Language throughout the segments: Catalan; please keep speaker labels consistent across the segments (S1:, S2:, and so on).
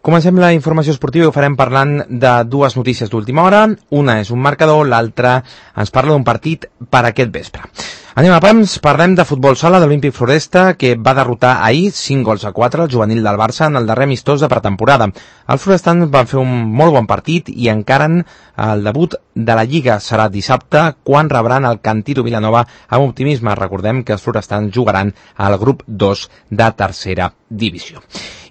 S1: Comencem la informació esportiva i ho farem parlant de dues notícies d'última hora. Una és un marcador, l'altra ens parla d'un partit per aquest vespre. Anem a pams, parlem de futbol sala de l'Olímpic Floresta, que va derrotar ahir 5-4 el juvenil del Barça en el darrer amistós de pretemporada. Els florestans van fer un molt bon partit i encaren el debut de la Lliga. Serà dissabte, quan rebran el Cantito Vilanova amb optimisme. Recordem que els florestans jugaran al grup 2 de tercera divisió.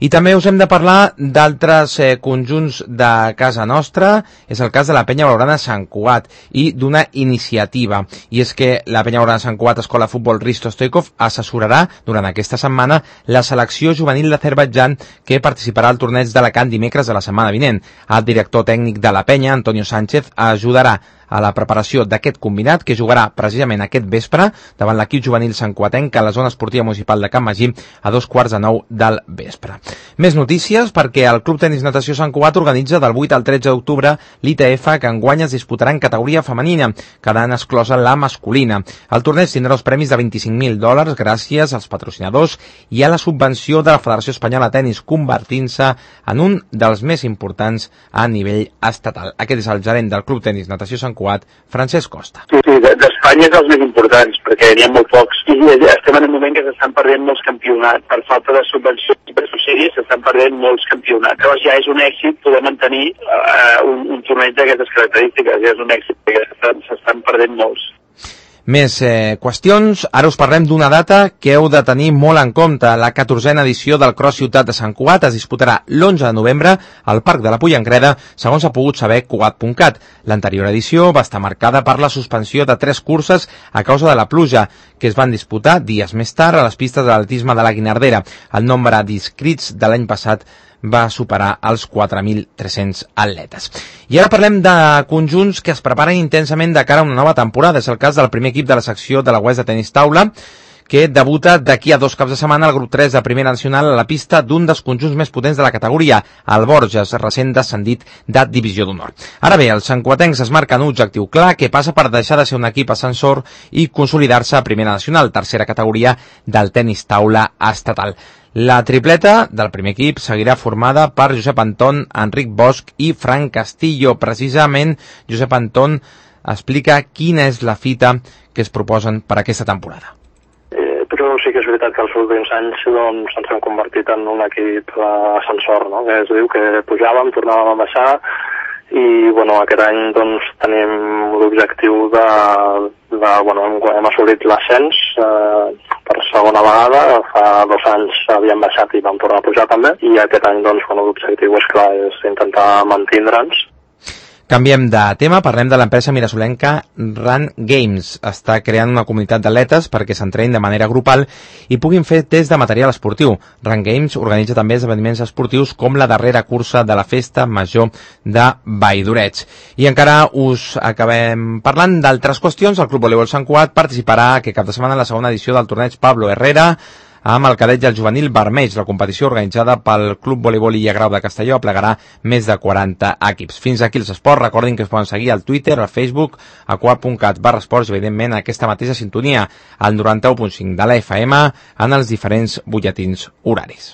S1: I també us hem de parlar d'altres conjunts de casa nostra. És el cas de la Penya Blaugrana Sant Cugat i d'una iniciativa. I és que la Penya Blaugrana Sant Cugat Escola Futbol Risto Stoikov assessorarà durant aquesta setmana la selecció juvenil d'Azerbaidjan que participarà al torneig d'Alacant dimecres de la setmana vinent. El director tècnic de la Penya, Antonio Sánchez, ajudarà a la preparació d'aquest combinat que jugarà precisament aquest vespre davant l'equip juvenil santcuatenc a la zona esportiva municipal de Can Magí a 8:45 del vespre. Més notícies perquè el Club Tenis Natació Sant Cugat organitza del 8 al 13 d'octubre l'ITF, que enguany es disputarà en categoria femenina, quedant exclosa la masculina. El torneig tindrà els premis de $25.000 gràcies als patrocinadors i a la subvenció de la Federació Espanyola de Tenis, convertint-se en un dels més importants a nivell estatal. Aquest és el gerent del Club Tenis Natació Sant Cugat, Francesc Costa.
S2: Sí, d'Espanya és els més importants, perquè n'hi ha molt pocs. I estem en un moment que s'estan perdent molts campionats. Per falta de subvencions i per sèries s'estan perdent molts campionats. Llavors ja és un èxit poder mantenir un torneig d'aquestes característiques. Ja és un èxit, perquè s'estan perdent molts.
S1: Més qüestions. Ara us parlem d'una data que heu de tenir molt en compte. La 14a edició del Cross Ciutat de Sant Cugat es disputarà l'11 de novembre al Parc de la Pollengreda, segons ha pogut saber Cugat.cat. L'anterior edició va estar marcada per la suspensió de 3 curses a causa de la pluja, que es van disputar dies més tard a les pistes d'atletisme de la Guinardera. El nombre d'inscrits de l'any passat va superar els 4.300 atletes. I ara parlem de conjunts que es preparen intensament de cara a una nova temporada. És el cas del primer equip de la secció de la UES de tenis taula, que debuta d'aquí a 2 caps de setmana al grup 3 de Primera Nacional a la pista d'un dels conjunts més potents de la categoria, el Borges, recent descendit de Divisió d'Honor. Ara bé, els santcuatencs es marquen un objectiu clar que passa per deixar de ser un equip ascensor i consolidar-se a Primera Nacional, tercera categoria del tenis taula estatal. La tripleta del primer equip seguirà formada per Josep Anton, Enric Bosch i Frank Castillo. Precisament, Josep Anton explica quina és la fita que es proposen per aquesta temporada.
S3: Però sí que és veritat que els últims anys doncs, ens hem convertit en un equip ascensor, no? Que es diu que pujàvem, tornàvem a baixar i bueno, aquest any doncs, tenim l'objectiu hem assolit l'ascens per segona vegada. Fa 2 anys havíem baixat i vam tornar a pujar també i aquest any doncs, l'objectiu és clar, és intentar mantindre'ns.
S1: Canviem de tema, parlem de l'empresa mirasolenca Run Games. Està creant una comunitat d'atletes perquè s'entrenin de manera grupal i puguin fer test de material esportiu. Run Games organitza també esdeveniments esportius com la darrera cursa de la Festa Major de Valldoreix. I encara us acabem parlant d'altres qüestions. El Club Voleibol Sant Cugat participarà aquest cap de setmana en la segona edició del torneig Pablo Herrera amb el cadet i el juvenil vermells. La competició organitzada pel Club Voleibol Illa Grau de Castelló aplegarà més de 40 equips. Fins aquí els esports. Recordin que es poden seguir al Twitter, al Facebook, a cugat.cat/esports i, evidentment, aquesta mateixa sintonia, al 91.5 de la FM, en els diferents butlletins horaris.